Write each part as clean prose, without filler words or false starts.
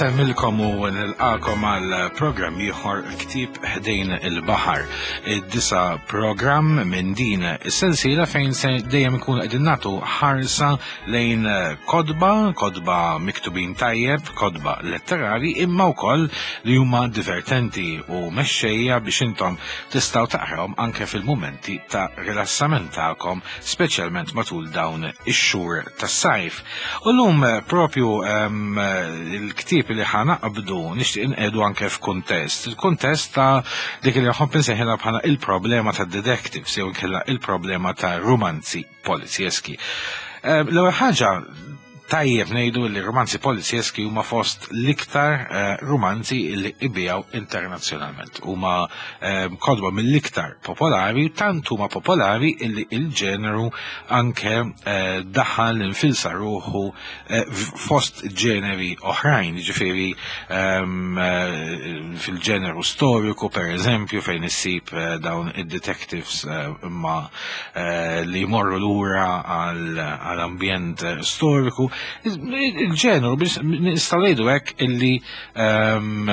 Insemmilkom u nilqakom għal programm ieħor ktib ħdejn il-baħar. Id-disa programm minn din is-sensiela fejn se dejjem ikun qegħdin nagħtu ħarsa lejn kodba, kodba miktubin tajjeb, kodba letterari, imma wkoll li huma divertenti u mexxejja biex intom tistgħu taqrawhom anke fil-mumenti ta' rilassament tagħkom, speċjalment matul dawn ix-xhur tas-sajf. U llum eh, propju ehm, il-ktieb li ħanaqbdu nixtieq inqedu anke f'kuntest. Il-kuntest ta' dik li nħobb insejħilha bħala il-problema ta' detectives jew inkella il-problema ta' romanzi polizjeski. Ehm, l-ewwel ħaġa tajjeb ngħidu li romanzi polizjeski huma fost l-iktar eh, romanzi li ibijaw internazzjonalment. Huma ehm, kodba mill-iktar popolari, tant huma popolari illi il-ġeneru anke eh, daħal infilsa ruħu eh, fost ġeneri oħrajn, ġifieri ehm, eh, fil-ġeneru storiku per eżempju fejn issib dawn id-detectives imma li jmorru lura għal-ambjent storiku. Il-ġeneru nistgħu ngħidu hekk illi ehm,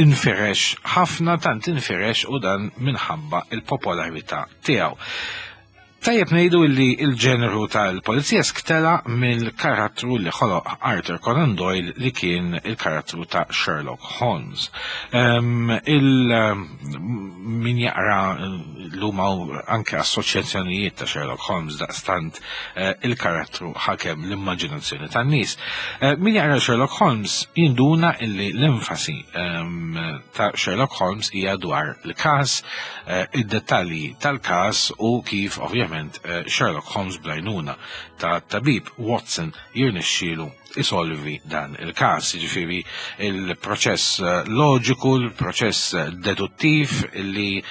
infirex ħafna tant infirex u dan minħabba il-popolarità tiegħu. Tajjeb ngħidu li l-ġeneru tal-polizjesk tela mill-karattru li ħoloq Arthur Conan Doyle li kien il-karattru ta' Sherlock Holmes. Il min jaqra l-huma anke assoċjazzjonijiet ta' Sherlock Holmes daqstant eh, il-karattru ħakem l-immaġinazzjoni tan-nies. Eh, min jaqra Sherlock Holmes jinduna illi l-enfasi ta' Sherlock Holmes hija dwar il-każ, eh, id-dettalji tal-każ u kif ovvjament eh, Sherlock Holmes blajnuna ta' tabib Watson jirnexxielu isolvi dan il-każ, jiġifieri il-proċess eh, loġiku, il-proċess deduttiv li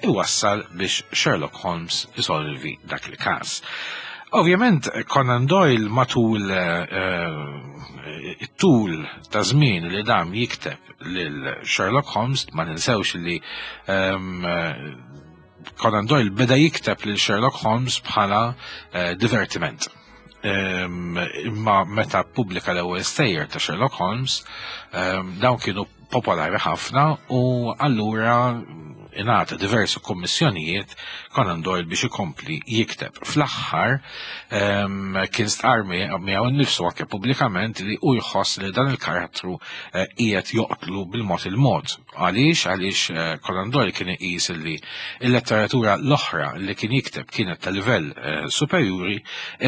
iwassal biex Sherlock Holmes isolvi dak il-każ. Ovvjament Conan Doyle matul it-tul ta' żmien li dam jikteb lil Sherlock Holmes, ma ninsewx li um, Conan Doyle beda jikteb lil Sherlock Holmes bħala uh, divertiment. Um, imma meta pubblika l-ewwel stejjer ta' Sherlock Holmes, um, dawn kienu popolari ħafna u allura ingħata diversi kommissjonijiet Conan Doyle biex ikompli jikteb. Fl-aħħar ehm, kien stqar miegħu nnifsu anke pubblikament li hu jħoss li dan il-karattru eh, qiegħed joqtlu bil-mod il-mod. Għaliex? Għaliex eh, Conan Doyle kien iqis li l-letteratura l-oħra li kien jikteb kienet ta' livell eh, superjuri,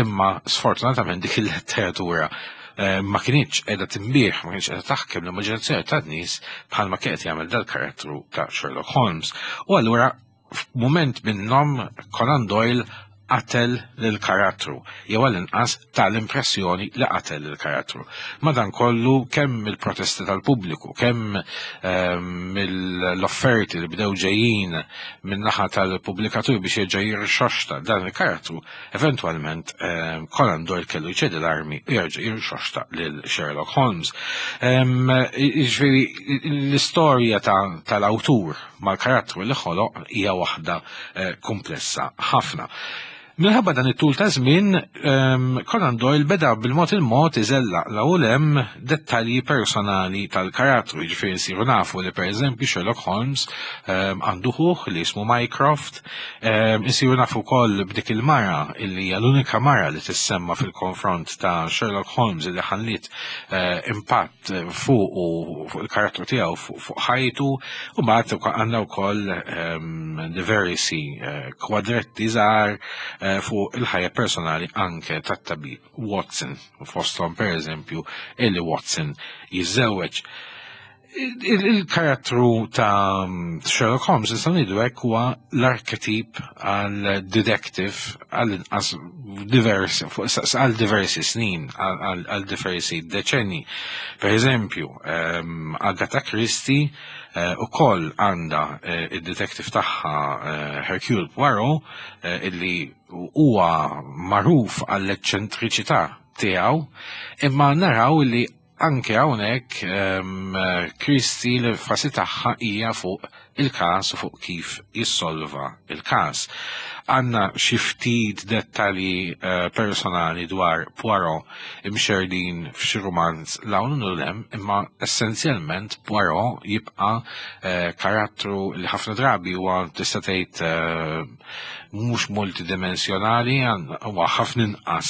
imma sfortunatament dik il-letteratura ma kinitx qiegħda tinbih, ma kinitx qiegħda taħkem l-immaġinazzjoni tan-nies bħalma kien qed jagħmel dal-karattru ta' Sherlock Holmes. U allura f'mument minnhom Conan Doyle qatel lill-karattru, jew għall-inqas ta l-impressjoni li qatel lill-karattru. Madankollu kemm mill-protesti tal-pubbliku, kemm ehm, mill-offerti li bdew ġejjin min-naħa tal-pubblikatur biex jerġa' jirxoxta dan il-karattru, Eventwalment, ehm, Conan Doyle kellu jċedi l-armi u jerġa' jirxoxta lil Sherlock Holmes. Ehm, jiġifieri l-istorja tal-awtur mal-karattru li ħoloq hija waħda eh, komplessa ħafna. Minħabba dan it-tul ta' żmien, ehm, Conan Doyle beda bil-mod il-mod iżellaq l hemm dettalji personali tal-karattru, jiġifieri nsiru nafu li pereżempju Sherlock Holmes għandu ħuh li jismu Mycroft, Ehm, insiru nafu wkoll b'dik il-mara illi hija l-unika mara li tissemma fil-konfront ta' Sherlock Holmes illi ħalliet eh, impatt fuq u fuq il-karattru tiegħu fuq ħajtu u mbagħad għandna wkoll ehm, diversi eh, kwadretti żgħar eh, fuq il-ħajja personali anke tat-tabib Watson, fosthom pereżempju illi Watson jiżżewweġ. Il-karattru ta' Sherlock Holmes nistgħu ngħidu hekk huwa l-arketip għal detective għal inqas diversi għal diversi snin għal diversi deċenni. Per eżempju, ehm, Agatha Christie eh, ukoll għandha eh, id-detective tagħha eh, Hercule Poirot illi huwa magħruf għall-eċċentriċità tiegħu, imma naraw li Anke hawnhekk ehm, Christie l-enfasi tagħha hija fuq il-każ u fuq kif jissolva il-każ. Għandna xi ftit dettalji personali dwar Poirot imxerdin f'xi rumanz 'l hawn u 'l hemm, imma essenzjalment Poirot jibqa' karattru li ħafna drabi huwa tista' tgħid mhux multidimensjonali, huwa ħafna inqas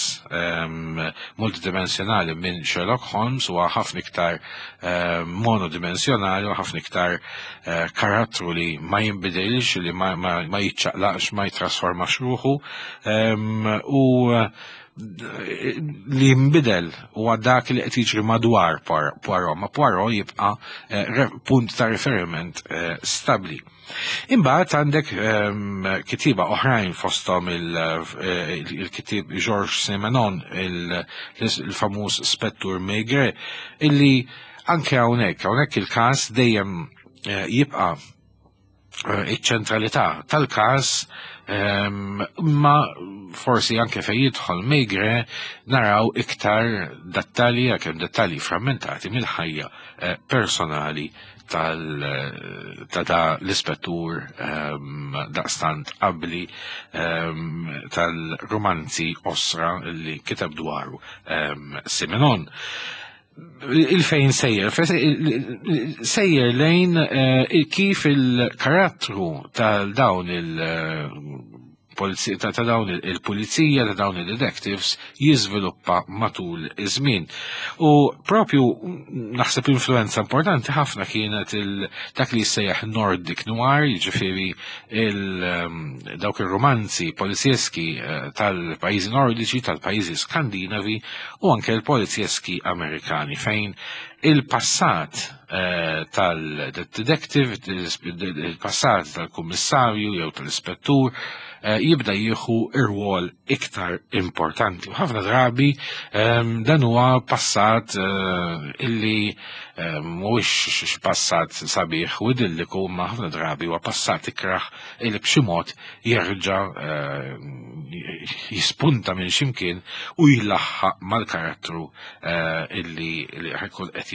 multidimensjonali minn Sherlock Holmes, huwa ħafna iktar monodimensjonali u ħafna iktar karattru li ma jinbidilx, li ma jiċċaqlaqx, ma jitrasformax ruħu u li jinbidel huwa dak li qed jiġri madwar Poirot, ma Poirot jibqa' punt ta' riferiment stabbli. Imbagħad għandek kittieba oħrajn fosthom il-kittieb Georges Simenon, il-famuż Spettur Maigret, illi anke hawnhekk, hawnhekk il-każ dejjem jibqa' iċ-ċentralità tal-każ, imma forsi anke fejn jidħol Maigret naraw iktar dettalji, għalkemm dettalji frammentati mill-ħajja personali ta' da l-ispettur daqstant qabli tal-romanzi osra li kiteb dwaru Simenon. Il-fejn sejjer, sejjer lejn kif il-karattru tal-dawn il- ta' dawn il-pulizija, ta' dawn il-detectives jiżviluppa matul iż-żmien. U propju naħseb influenza importanti ħafna kienet dak li jissejjaħ Nordic Noir, jiġifieri dawk ir-romanzi polizjeski tal-pajjiżi nordiċi, tal-pajjiżi skandinavi u anke l-polizjeski Amerikani, fejn il-passat tal-detective, il-passat tal-kummissarju jew tal-ispettur jibda jieħu ir-rwol iktar importanti. U ħafna drabi dan huwa passat illi mhuwiex passat sabiħ u idilliku, ma ħafna drabi huwa passat ikraħ illi b'xi mod jerġa' jispunta minn ximkien u jlaħħaq mal-karattru illi ħajkun qed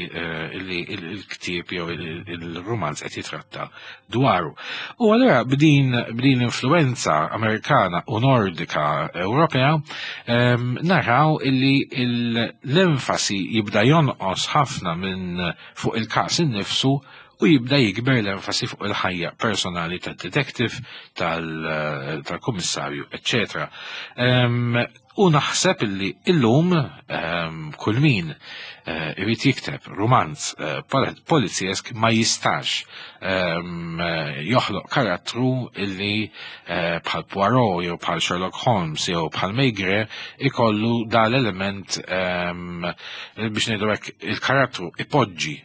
illi il-ktieb jew il-romanz qed jitratta dwaru. U allura b'din l-influenza Amerikana u Nordika Ewropea naraw illi l-enfasi jibda jonqos ħafna minn fuq il-każ innifsu u jibda jikber l-enfasi fuq il-ħajja personali tad-detective, tal-kummissarju, eccetera. U naħseb illi illum kull min irid jikteb romanz polizjesk ma jistax joħloq karattru illi bħal Poirot jew bħal Sherlock Holmes jew bħal Maigret ikollu dal-element biex ngħidu hekk il-karattru ipoġġi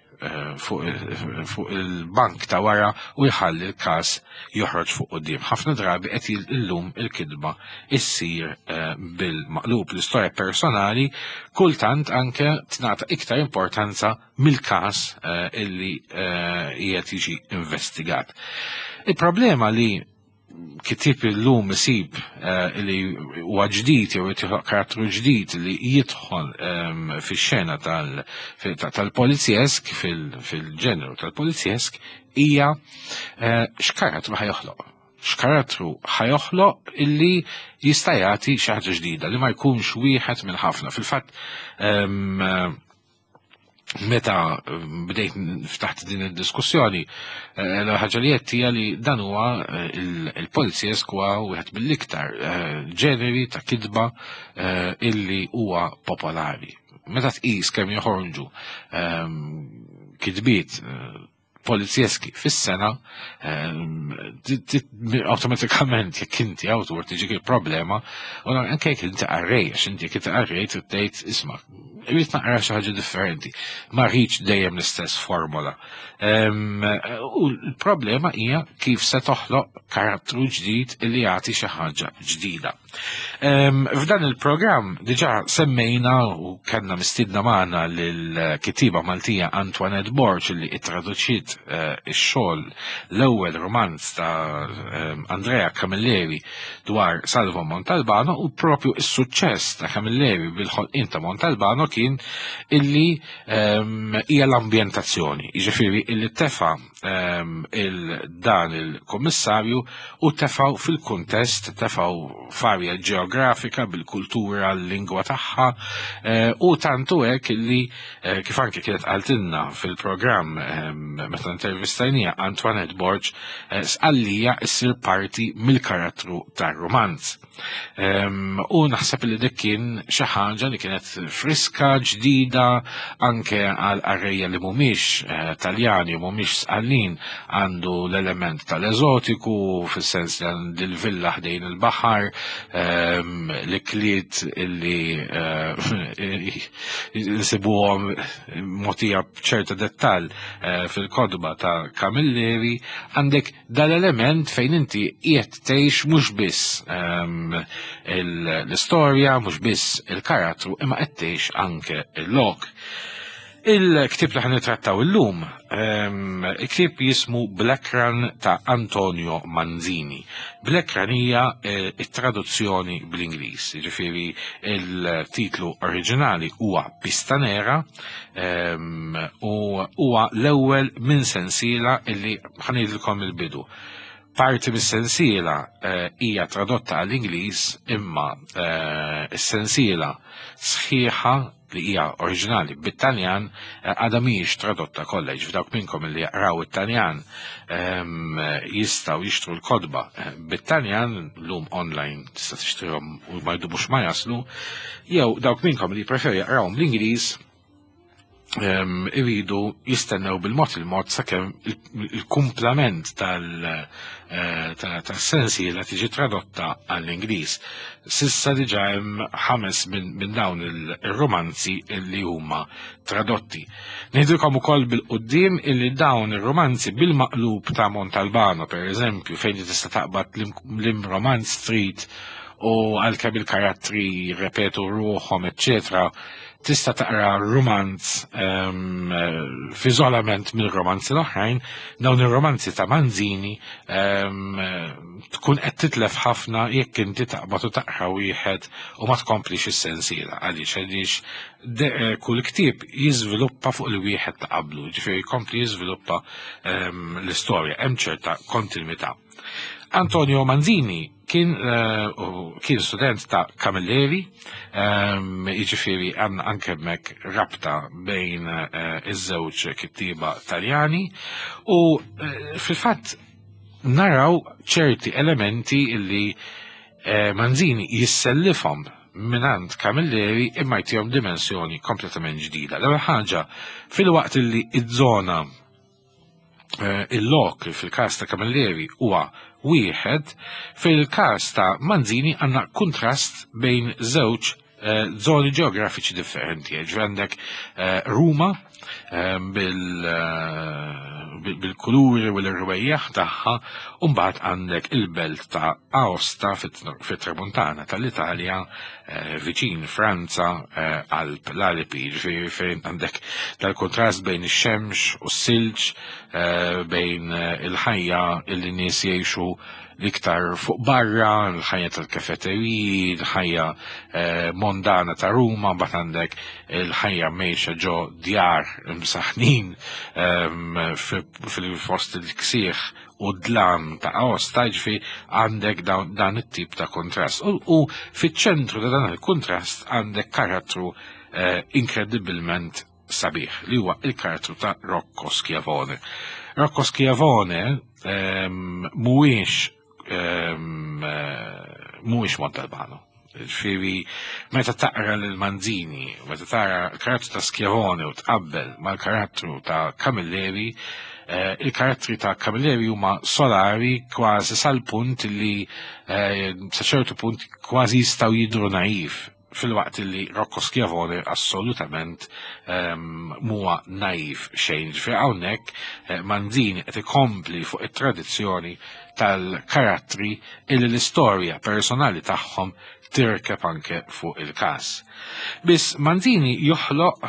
fuq il-bank ta' wara u jħalli l-każ joħroġ fuq quddiem. Ħafna drabi qed illum il-kitba issir bil-maqlub. L-istorja personali kultant anke tingħata iktar importanza mill-każ illi qiegħed jiġi investigat. Il-problema li kittieb illum isib li huwa ġdid jew jitħloq karattru ġdid li jidħol fix-xena tal-polizjesk, fil-ġeneru tal-polizjesk, hija x'karattru ħajoħloq. X'karattru ħajoħloq illi jista' jagħti xi ħaġa ġdida li ma jkunx wieħed minn ħafna. Fil-fatt meta bdejt ftaħt din id-diskussjoni, l-ħaġa li qed hija li dan huwa il-polizjesk huwa wieħed mill-iktar ġeneri ta' kitba illi huwa popolari. Meta tqis kemm joħorġu kitbiet polizjeski fis-sena, awtomatikament jekk inti awtur tiġik il-problema, u anke jekk inti qarrej, għax inti jekk inti qarrej trid tgħid isma' irrid naqra xi ħaġa differenti, ma rridx dejjem l-istess formola. U l-problema hija kif se toħloq karattru ġdid li jagħti xi ħaġa ġdida. F'dan il-programm diġà semmejna u kellna mistiedna magħna lill-kittieba Maltija Antoinette Borg li ittraduċiet eh, ix-xogħol l-ewwel romanz ta' Andrea Camilleri dwar Salvo Montalbano u propju is-suċċess ta' Camilleri bil-ħolqien ta' Montalbano kien illi hija l-ambjentazzjoni, jiġifieri illi tefa' Ehm, il-dan il-kommissarju u tefaw fil-kuntest, tefaw f'arja ġeografika bil-kultura, l-lingwa tagħha eh, u tantu hekk li eh, kif anke kienet qaltilna fil-programm ehm, meta intervistajnija Antoinette Borg eh, sqallija issir parti mill-karattru tar-romanz. U naħseb li dik kien xi ħaġa li kienet friska, ġdida, anke għal qarrejja li mhumiex eh, Taljani, mhumiex Sqallin, għandu l-element tal-eżotiku, fis-sens li l-villa ħdejn il-baħar, l-ikliet illi eh, nsibuhom mogħtija b'ċerta dettall eh, fil-kodba ta' Camilleri, għandek dal-element fejn inti qiegħed tgħix mhux biss ehm, l-istorja, mhux biss il-karattru, imma qed tgħix anke il-lok. Il-ktib li ħan nittrattaw illum, ehm, il-ktib jismu Black Run ta' Antonio Manzini. Black Run hija eh, it-traduzzjoni bl-Ingliż, jiġifieri il-titlu oriġinali huwa Pista Nera ehm, u huwa l-ewwel minn sensiela illi ħanidilkom il-bidu. Parti mis-sensiela eh, hija tradotta għall-Ingliż imma eh, s-sensiela sħiħa li hija oriġinali bit-Taljan eh, għadha mhijiex tradotta kollha, jiġifieri dawk minnkom li jaqraw it-Taljan ehm, jistgħu jixtru l-kotba bit-Taljan lum online tista' tixtrihom u ma jdumux ma jaslu, jew dawk minnkom li jpreferu jaqrawhom bl-Ingliż iridu jistennew bil-mod il-mod sakemm il-kumplament eh, tal-sensiela tiġi tradotta għall-Ingliż. Sissa diġà hemm ħames minn dawn il-romanzi li huma tradotti. Ngħidilkom ukoll bil-qudiem illi dawn ir-romanzi bil-maqlub ta' Montalbano, per eżempju, fejn tista' taqbad l-imromanz Street u għalkemm il-karattri jirrepetu ruħhom, eċċetera, tista' taqra romanz ehm, f'iżolament mill-romanzi l-oħrajn, dawn ir-romanzi ta' Manzini ehm, tkun qed titlef ħafna jekk inti taqbad u taqra wieħed u ma tkomplix is-sensiela għaliex għaliex eh, kull ktieb jiżviluppa fuq il-wieħed ta' qablu, ġifieri jkompli jiżviluppa ehm, l-istorja, hemm ċerta kontinwità. Antonio Manzini kien eh, kien student ta' Camilleri, ehm, jiġifieri għandna anke hemmhekk rabta bejn eh, iż-żewġ kittieba Taljani u eh, fil-fatt naraw ċerti elementi illi Manzini jissellifhom minant Camilleri imma jtihom dimensjoni kompletament ġdida. L-ewwel ħaġa fil-waqt illi iż-żona Eh, il-lok fil-każ ta' Camilleri huwa wieħed, fil-każ ta' Manzini għandna kuntrast bejn żewġ eh, zoni ġeografiċi differenti. Ġifieri għandek eh, Ruma bil-kuluri u l-irwejjaħ tagħha, u mbagħad għandek il-belt ta' Aosta fit-tramuntana tal-Italja Eh, viċin Franza eh, Alp l-Alpi, ġifieri fejn għandek dal-kontrast bejn ix-xemx u s-silġ, eh, bejn il-ħajja illi nies jgħixu l-iktar fuq barra, l-ħajja tal-kafeteriji, l-ħajja mondana ta' Ruma, mbagħad għandek il-ħajja mejxa ġo djar msaħnin ehm, fil-fost il-ksieħ u dlam ta' Aosta, ġifi għandek dan it-tip ta' kontrast. U fiċ-ċentru ta' dan il-kontrast għandek karattru eh, inkredibilment sabiħ li huwa il-karattru ta' Rocco Schiavone. Rocco Schiavone ehm, mhuwiex ehm, eh, mhuwiex Montalbano. Ġifieri meta taqra lil Manzini, meta tara l-karattru ta' Schiavone u tqabbel mal-karattru ta' Camilleri, eh, il-karattri ta' Camilleri huma solari kważi sal-punt li eh, sa ċertu punt kważi jistgħu jidhru naif. Filwaqt li Rocco Schiavone assolutament muwa naiv xejn. Ġifieri hawnhekk Manzini qed ikompli fuq it-tradizzjoni tal-karattri illi l-istorja personali tagħhom tirkeb anke fuq il-każ. Biss Manzini joħloq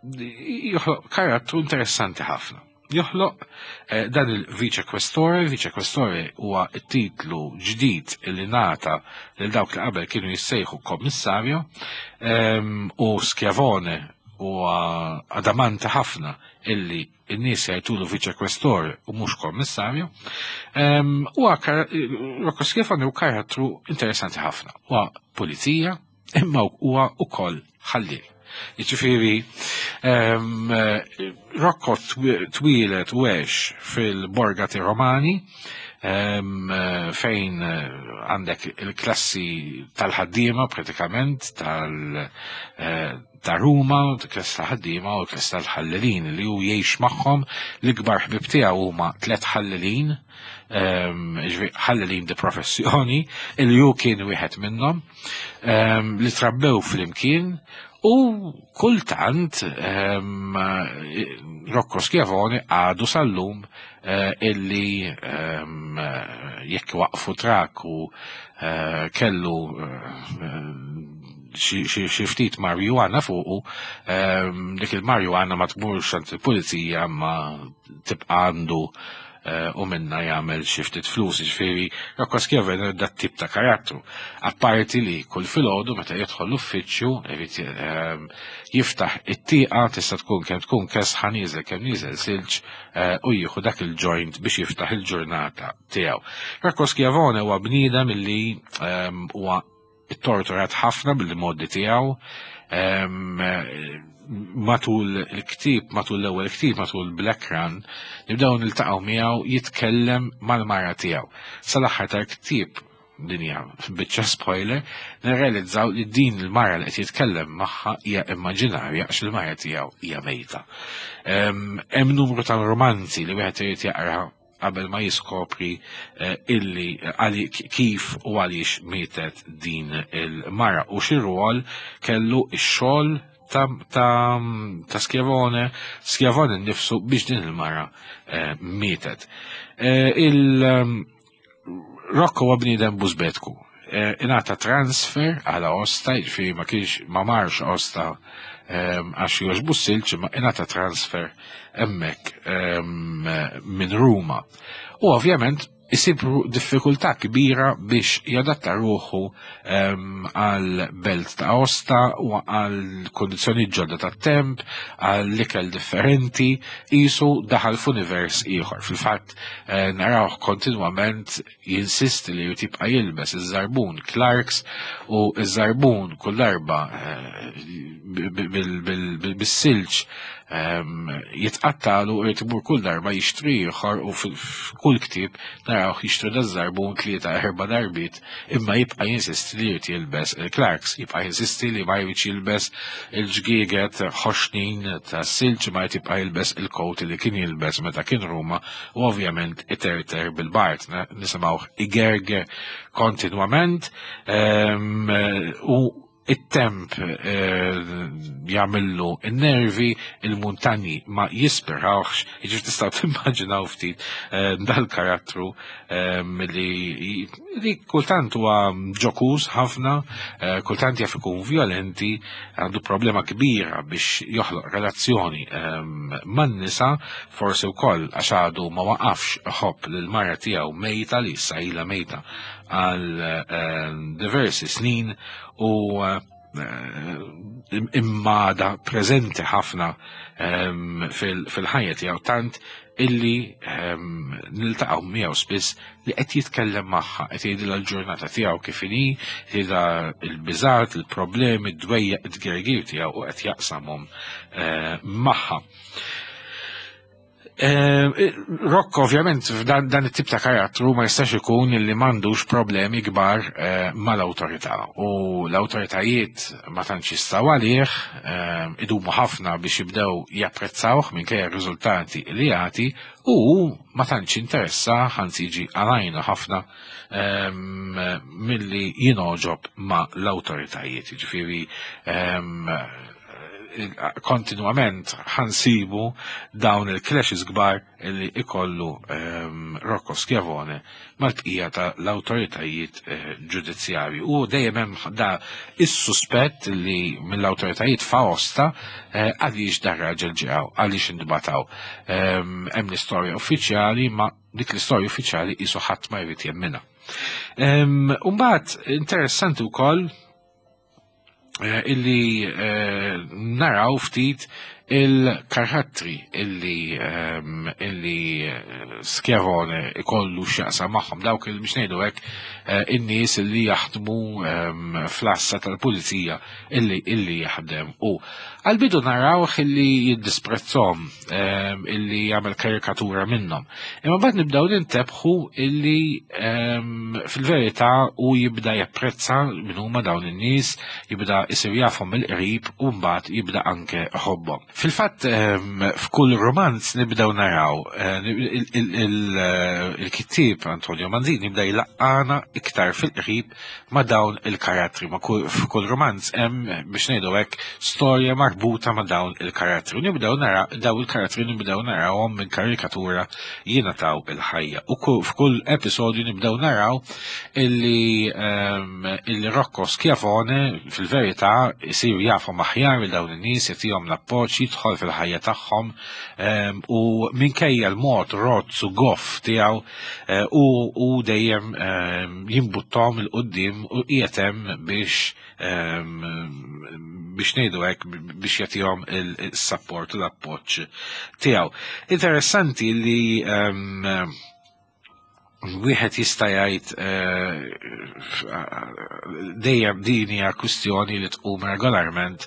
joħloq karattru interessanti ħafna. Joħloq eh, dan il-Vice Questore, Vice Questore huwa t-titlu ġdid li nata lil dawk li qabel kienu jissejħu kommissarju ehm, u Schiavone huwa adamanti ħafna illi n-nies jgħidulu Vice Questore u mhux kommissarju. Ehm, huwa Rocco Schiavone hu karattru interessanti ħafna. Huwa pulizija, imma huwa ukoll ħalliel. Jiġifieri ehm, Rocco twieled u għex fil-Borgati Romani ehm, fejn għandek il-klassi tal-ħaddiema pratikament tal eh, ta' Ruma, klassi ta' ħaddiema u klassi tal-ħallelin li hu jgħix magħhom l-ikbar ħbib tiegħu huma tliet ħallelin Ehm, ħallelin di professjoni, li hu kien wieħed minnhom, ehm, li trabbew flimkien u kultant ehm, Rocco Schiavone għadu sal-lum eh, illi jekk waqfu trak u eh, kellu eh, xi ftit marijuana fuqu, dik il-marijuana ma tmurx għand il-pulizija ma tibqa' għandu eh, u minna jagħmel xi ftit flus, jiġifieri Rocco Schiavone dat tip ta' karattru. Apparti li kull filgħodu meta jidħol l-uffiċċju irid ehm, jiftaħ it-tieqa tista' tkun kemm tkun kesħa nieżel kemm nieżel silġ eh, u jieħu dak il-joint biex jiftaħ il-ġurnata tiegħu. Rocco Schiavone huwa bniedem illi ehm, huwa ittorturat ħafna bil-modi tiegħu ehm, matul il-ktib, matul l-ewwel ktib, matul Black Run, nibdew niltaqgħu miegħu jitkellem mal-mara tiegħu. Sal-aħħar tal-ktieb dinja biċċa spoiler, nirrealizzaw li din il-mara li qed jitkellem magħha hija immaġinarja għax il-mara tiegħu hija mejta. Hemm numru ta' romanzi li wieħed irid jaqra qabel ma jiskopri eh, illi eh, kif u għaliex mietet din il-mara u xi rwol kellu x-xogħol ta', ta, ta Schiavone, Schiavone nnifsu biex din il-mara eh, mietet. Il Rocco huwa bniedem bużbetku. Ingħata transfer għal Aosta, jiġifieri ma kienx ma marx Aosta għax jogħġbu s-silġ, imma ingħata transfer hemmhekk minn Ruma. U ovvjament isib diffikultà kbira biex jadatta ruħu għal belt ta' Aosta u għal kondizzjoni ġodda ta' temp, għal ikel differenti, jisu daħal f'univers ieħor. Fil-fatt eh, narawh kontinwament jinsisti li jrid jibqa' jilbes iż-żarbun Clarks u iż-żarbun kull darba eh, bis-silġ ehm, jitqattalu u jrid imur kull darba jixtri ieħor u f'kull ktieb narawh jixtri daż-żarbun tlieta erba' darbiet imma jibqa' jinsisti li jrid jilbes il-Clarks, jibqa' jinsisti li ma jridx jilbes il-ġgieget ħoxnin tas-silġ ma jrid jibqa' jilbes il-kowt li kien jilbes meta kien Ruma u ovvjament iterter bil-bart, nisimgħuh igerger kontinwament ehm, u it-temp eh, jagħmillu n-nervi, il-muntanji ma jispirawx, jiġifieri tistgħu timmaġinaw ftit eh, dal-karattru ehm, li, li kultant huwa ġokuż ħafna, eh, kultant jaf ikun violenti, għandu problema kbira biex joħloq relazzjoni ehm, man-nisa, forsi wkoll għax għadu ma waqafx iħobb lil mara tiegħu mejta li issa ilha mejta għal ehm, diversi snin u eh, immada preżenti ħafna ehm, fil-ħajja tiegħu tant illi ehm, niltaqgħu miegħu spiss li qed jitkellem magħha, qed jgħidilha l-ġurnata tiegħu kif inhi, jgħidilha l-biżat, il-problemi, d-dwejjaq, id-tgergir tiegħu u qed jaqsamhom eh, magħha. Rocco ovvjament dan it-tip ta' karattru ma jistax ikun li m'għandux problemi kbar mal-awtorità u l-awtoritajiet ma tantx jistgħu għalih, idumu ħafna biex jibdew japprezzawh minkejja r-riżultati li jagħti u hu ma tantx interessa anzi jiġi għalajna ħafna milli jingħoġob ma' l-awtoritajiet. Jiġifieri kontinwament ħansibu dawn il-clashes kbar li ikollu Rocco Schiavone mal-bqija ta' l-awtoritajiet ġudizzjarji. U dejjem hemm da is-suspett li mill-awtoritajiet f'Aosta għaliex dar raġel ġew, għaliex intbataw. Hemm l-istorja uffiċjali ma dik l-istorja uffiċjali qisu ħadd ma jrid jemminha. Umbagħad interessanti wkoll illi naraw ftit il-karattri illi Schiavone ikollu x'jaqsam magħhom, dawk il biex ngħidu hekk in-nies illi jaħdmu fl-għassa tal-pulizija illi jaħdem u għal-bidu narawh illi jiddisprezzhom, illi jagħmel karikatura minnhom. Imma mbagħad nibdew nintebħu illi fil-verità u jibda japprezza min huma dawn in-nies, jibda isir jafhom mill-qrib u mbagħad jibda anke ħobbhom. Fil-fatt f'kull romanz nibdew naraw il-kittieb Antonio Manzini jibda jlaqqana iktar fil-qrib ma' dawn il-karattri. Ma' f'kull romanz hemm biex ngħidu hekk storja marbuta ma' dawn il-karattri. U nibdew nara daw il-karattri nibdew narawhom minn karikatura jingħataw il-ħajja. U f'kull episodju nibdew naraw illi Rocco Schiavone fil-verità isir jafhom aħjar il dawn in-nies, jagħtihom l-appoġġ, jidħol fil-ħajja tagħhom u minkejja l-mod rozz u goff tiegħu u dejjem jimbuttom il-qoddim u qiegħed hemm biex biex ngħidu hekk biex jagħtihom il-support u l-appoġġ tiegħu. Interessanti li wieħed jista' jgħid dejjem din hija kwistjoni li tqum regolarment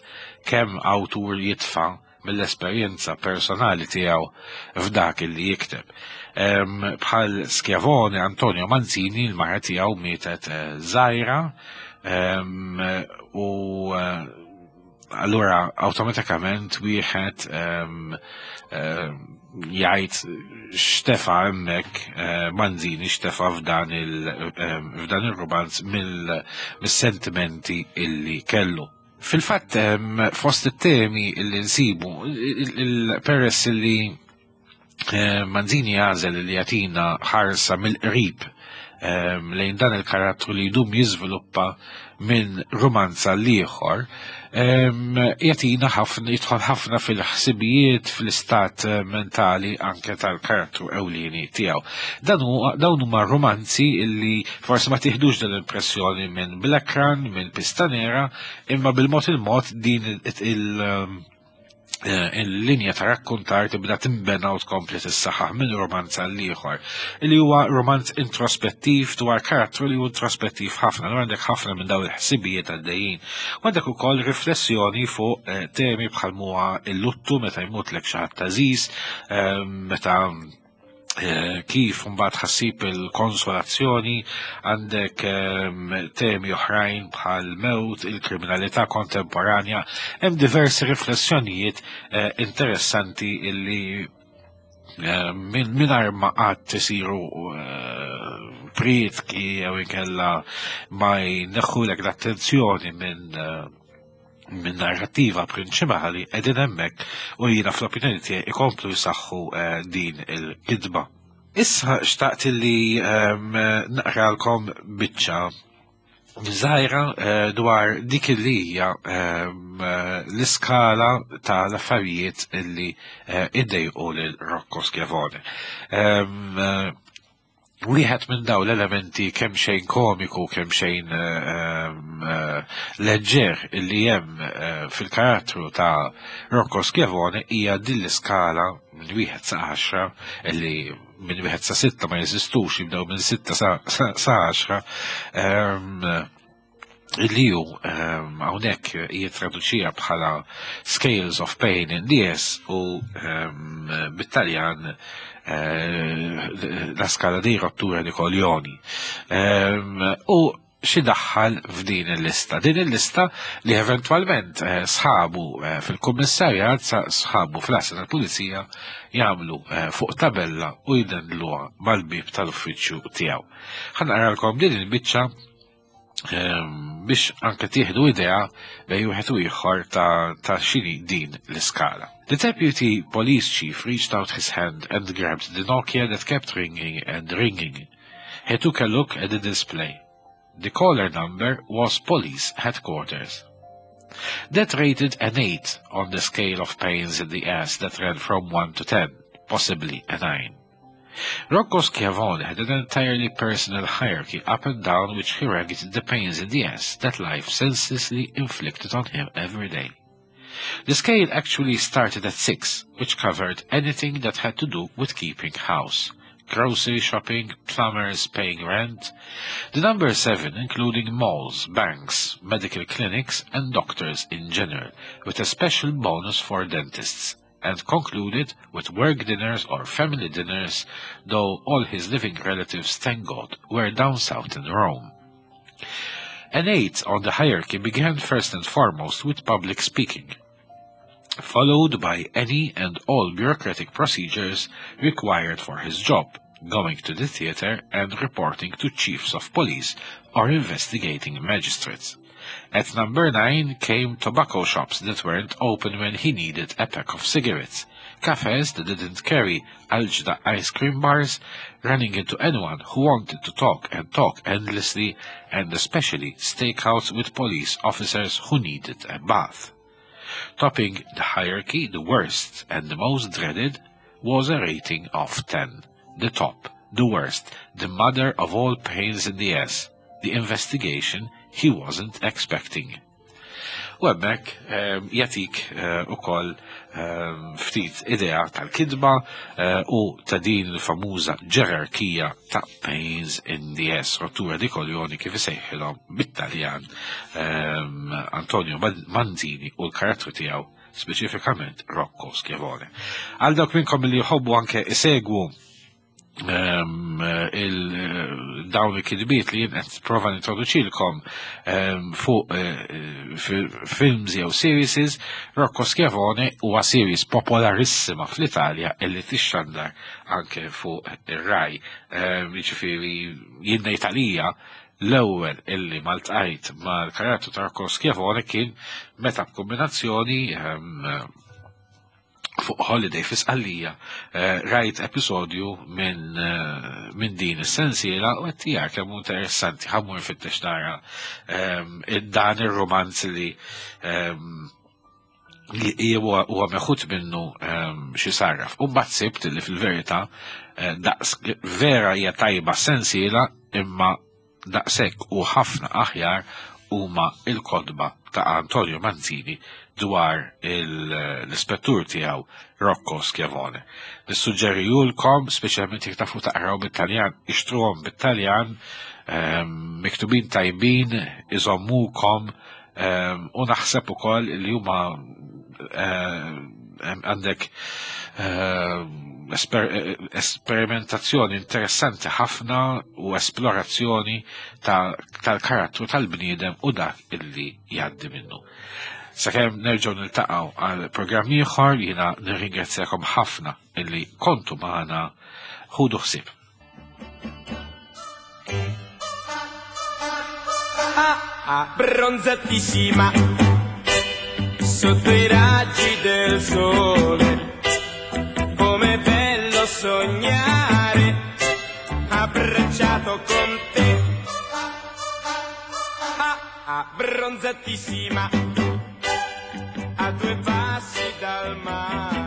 kemm awtur jitfa' mill-esperjenza personali tiegħu f'dak li jikteb. Bħal Schiavone, Antonio Manzini, l-mara tiegħu mietet żgħira u allura awtomatikament wieħed jgħid xtefa hemmhekk Manzini xtefa f'dan il-romanz mill-sentimenti illi kellu. Fil-fatt fost it-temi illi nsibu, peress illi Manzini għażel li jagħtina ħarsa mill-qrib lejn dan il-karattru li jdum jiżviluppa minn romanza l-ieħor, jagħtina ħafna, jidħol ħafna fil-ħsibijiet, fl-istat mentali anke tal-karattru ewlieni tiegħu. Dawn huma romanzi illi forsi ma tieħdux din l-impressjoni minn Black Run, minn Pistanera, imma bil-mod il-mod din il-linja ta' rakkontar tibda timbena u tkompli tissaħħaħ minn romanz għal ieħor, li huwa romanz introspettiv dwar karattru li hu introspettiv ħafna, allura għandek ħafna minn dawn il-ħsibijiet għaddejjin. U għandek ukoll riflessjoni fuq temi bħal huwa l-luttu meta jmutlek xi ħadd għażiż, meta kif mbagħad ħassib il-konsolazzjoni, għandek temi oħrajn bħal mewt, il-kriminalità kontemporanja, hemm diversi riflessjonijiet interessanti illi mingħajr ma qatt isiru prietki jew inkella ma jneħħulek l-attenzjoni minn narrattiva prinċipali qegħdin hemmhekk u jiena fl-opinjoni tiegħi ikomplu jsaħħu din il-kitba. Issa xtaqt li naqralkom biċċa żgħira dwar dik li hija l-iskala tal-affarijiet illi iddejqu lil Rocco Schiavone. Wieħed minn dawn l-elementi kemm xejn komiku, kemm xejn leġġer illi hemm fil-karattru ta' Rocco Schiavone hija din l-iskala minn wieħed sa 10, illi minn wieħed sa 6 ma jeżistux, jibdew minn 6 sa 10. li hu ehm, hawnhekk jittraduċija bħala Scales of Pain in the Ass u ehm, bit-Taljan eh, la scala di rottura di coglioni. Ehm, u xi daħħal f'din il-lista. Din il-lista li eventwalment eh, sħabu eh, fil-kummissarjat, sħabu fl-għassa tal-pulizija jagħmlu fuq tabella u jdendluha mal-bib tal-uffiċċju tiegħu. Ħa naqralkom din il-biċċa Ehm, biex anke tieħdu idea bej wieħed u ieħor ta', ta xini din l-iskala. The deputy police chief reached out his hand and grabbed the Nokia that kept ringing and ringing. He took a look at the display. The caller number was police headquarters. That rated an 8 on the scale of pains in the ass that ran from 1 to 10, possibly a 9. Rocco Schiavone had an entirely personal hierarchy up and down which he ranked the pains in the ass that life senselessly inflicted on him every day. The scale actually started at 6, which covered anything that had to do with keeping house, grocery shopping, plumbers paying rent. The number 7 including malls, banks, medical clinics and doctors in general, with a special bonus for dentists and concluded with work dinners or family dinners, though all his living relatives, thank God, were down south in Rome. An eight on the hierarchy began first and foremost with public speaking, followed by any and all bureaucratic procedures required for his job, going to the theater and reporting to chiefs of police or investigating magistrates. At number 9 came tobacco shops that weren't open when he needed a pack of cigarettes, cafes that didn't carry Algida ice cream bars, running into anyone who wanted to talk and talk endlessly, and especially stakeouts with police officers who needed a bath. Topping the hierarchy, the worst and the most dreaded, was a rating of 10. The top, the worst, the mother of all pains in the ass, the investigation he wasn't expecting. U hemmhekk ehm, jagħtik eh, ukoll ehm, ftit idea tal-kidba eh, u ta' din il-famuża ġerarkija ta' pains in the ass, rottura di koljoni kif isejħilhom bit-Taljan ehm, Antonio Manzini u l-karattru tiegħu speċifikament Rocco Schiavone. Għal dawk minnkom li jħobbu anke isegwu Ehm, il-dawn il-kidbiet li jien qed prova nintroduċilkom ehm, fuq eh, films jew series, Rocco Schiavone huwa series popolarissima fl-Italja illi tixxandar anke fuq ir-Rai. Ehm, jiġifieri jien ngħid għalija l-ewwel illi maltqajt mal-karattru ta' Rocco Schiavone kien meta b'kombinazzjoni fuq holiday fi Sqallija eh, rajt episodju minn eh, min din is-sensiela u qed tiegħek kemm interessanti ħammur fittex nara ehm, dan ir-romanz li ehm, li huwa meħud minnu ehm, xi sarraf. U mbagħad sibt li fil-verità eh, daqs vera hija tajba sensiela imma Daqshekk u ħafna aħjar huma l-kotba ta' Antonio Manzini dwar l-ispettur tiegħu Rocco Schiavone. Nissuġġerijulkom, speċjalment jekk tafu taqraw bit-Taljan, ixtruhom bit-Taljan, ehm, miktubin tajbin, iżommukom ehm, u naħseb ukoll li huma ehm, għandek esperimentazzjoni interessanti ħafna u esplorazzjoni tal-karattru tal-bniedem u dak illi jgħaddi minnu. Sakemm nerġgħu niltaqgħu għal programm ieħor jiena nirringrazzjakom ħafna illi kontu magħna ħudu ħsieb. Abbronzatissima sotto i raggi del sole com'è bello sognare abbracciato con te abbronzatissima a due passi dal mare.